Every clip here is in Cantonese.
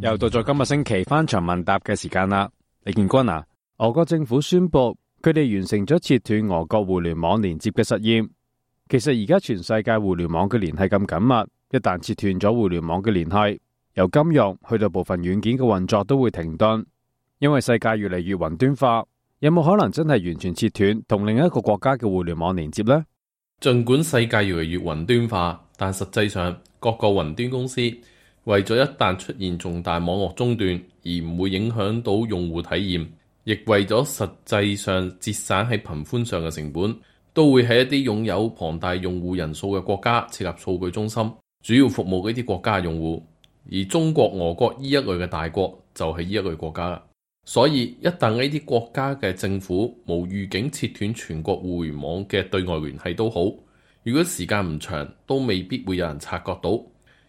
又到咗今個星期翻牆問答嘅時間啦。李建軍啊，俄國政府宣布佢哋完成咗切斷俄國互聯網連接嘅實驗。其實而家全世界互聯網嘅聯繫咁緊密，一旦切斷咗互聯網嘅聯繫，由金融去到部分軟件嘅運作都會停頓，因為世界越嚟越雲端化。有冇可能真係完全切斷同另一個國家嘅互聯網連接呢？儘管世界越嚟越雲端化，但實際上各個雲端公司為咗一旦出現重大網絡中斷而唔會影響到用戶體驗，亦為咗實際上節省喺頻寬上嘅成本，都會喺一啲擁有龐大用戶人數嘅國家設立數據中心，主要服務呢啲國家嘅用戶。而中國、俄國呢一類嘅大國就係呢一類國家啦。所以一旦呢啲國家嘅政府無預警切斷全國互聯網嘅對外聯繫都好，如果時間唔長，都未必會有人察覺到。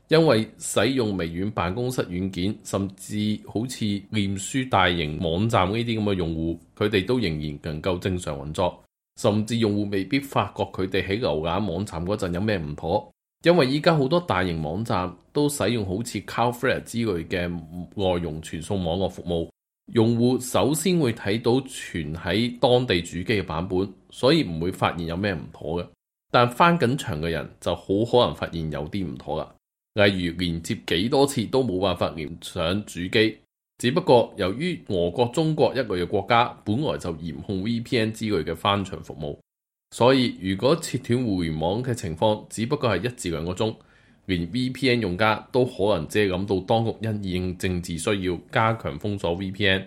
因為使用微軟辦公室軟件，甚至好似臉書大型網站呢啲咁嘅用戶，佢哋都仍然能夠正常運作，甚至用戶未必發覺佢哋喺瀏覽網站嗰陣有咩唔妥。因為依家好多大型網站都使用好似 Cloudflare 之類嘅外容傳送網絡服務。用戶首先會睇到存喺當地主機嘅版本，所以唔會發現有咩唔妥嘅。但翻緊牆嘅人就好可能發現有啲唔妥啦，例如連接幾多次都冇辦法連上主機。只不過由於俄國、中國一類嘅國家本來就嚴控 VPN 之類嘅翻牆服務，所以如果切斷互聯網嘅情況只不過係1至2個鐘，連 VPN 用家都可能只係諗到當局因應政治需要加強封鎖 VPN，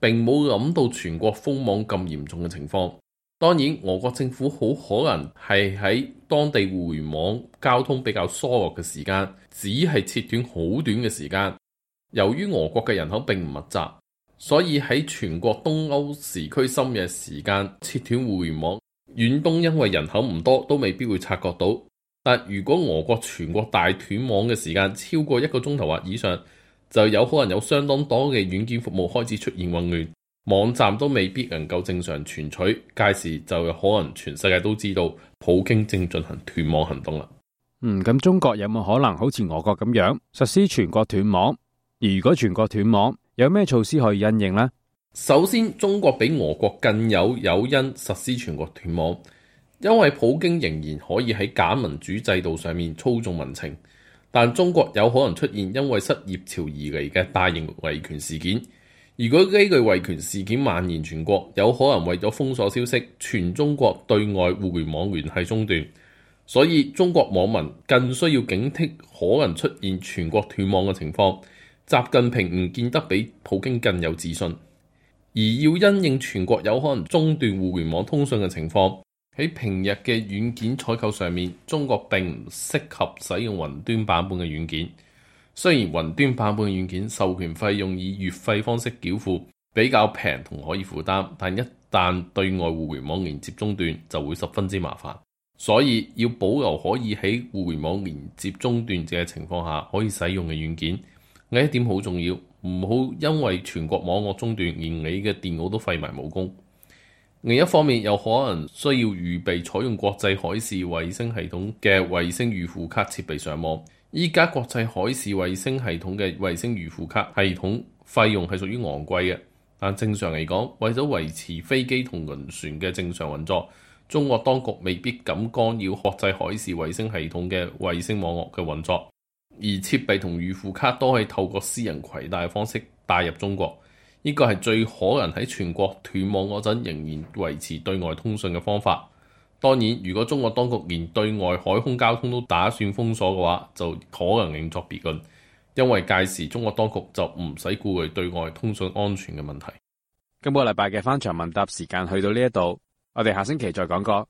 並冇諗到全國封網咁嚴重嘅情況。當然，俄國政府好可能係喺當地互聯網交通比較疏落嘅時間，只係切斷好短嘅時間。由於俄國嘅人口並唔密集，所以喺全國東歐時區深夜時間切斷互聯網，遠東因為人口唔多都未必會察覺到。但如果俄國全國大斷網嘅時間超過1個鐘頭或以上，就有可能有相當多嘅軟件服務開始出現混亂，網站都未必能夠正常存取，屆時就有可能全世界都知道普京正進行斷網行動啦。咁中國有冇可能好似俄國咁樣實施全國斷網？而如果全國斷網，有咩措施可以因應呢？首先，中國比俄國更有誘因實施全國斷網。因為普京仍然可以喺假民主制度上面操縱民情，但中國有可能出現因為失業潮而嚟嘅大型維權事件。如果呢類維權事件蔓延全國，有可能為咗封鎖消息，全中國對外互聯網聯繫中斷。所以中國網民更需要警惕可能出現全國斷網嘅情況。習近平唔見得比普京更有自信，而要因應全國有可能中斷互聯網通訊嘅情況。喺平日嘅軟件採購上面，中國並唔適合使用雲端版本嘅軟件。雖然雲端版本嘅軟件授權費用以月費方式繳付，比較平同可以負擔，但一旦對外互聯網連接中斷，就會十分之麻煩。所以要保留可以喺互聯網連接中斷嘅情況下可以使用嘅軟件，呢一點好重要。唔好因為全國網絡中斷，連你嘅電腦都廢埋武功。另一方面，有可能需要預備採用國際海事衛星系統嘅衛星預付卡設備上網。依家國際海事衛星系統嘅衛星預付卡系統費用係屬於昂貴嘅，但正常嚟講，為咗維持飛機同輪船嘅正常運作，中國當局未必敢干擾國際海事衛星系統嘅衛星網絡嘅運作，而設備同預付卡都係透過私人攜帶嘅方式帶入中國。呢個係最可能喺全國斷網嗰陣仍然維持對外通訊嘅方法。當然，如果中國當局連對外海空交通都打算封鎖嘅話，就可能另作別論，因為屆時中國當局就唔使顧慮對外通訊安全嘅問題。今個禮拜嘅翻牆問答時間去到呢一度，我哋下星期再講過。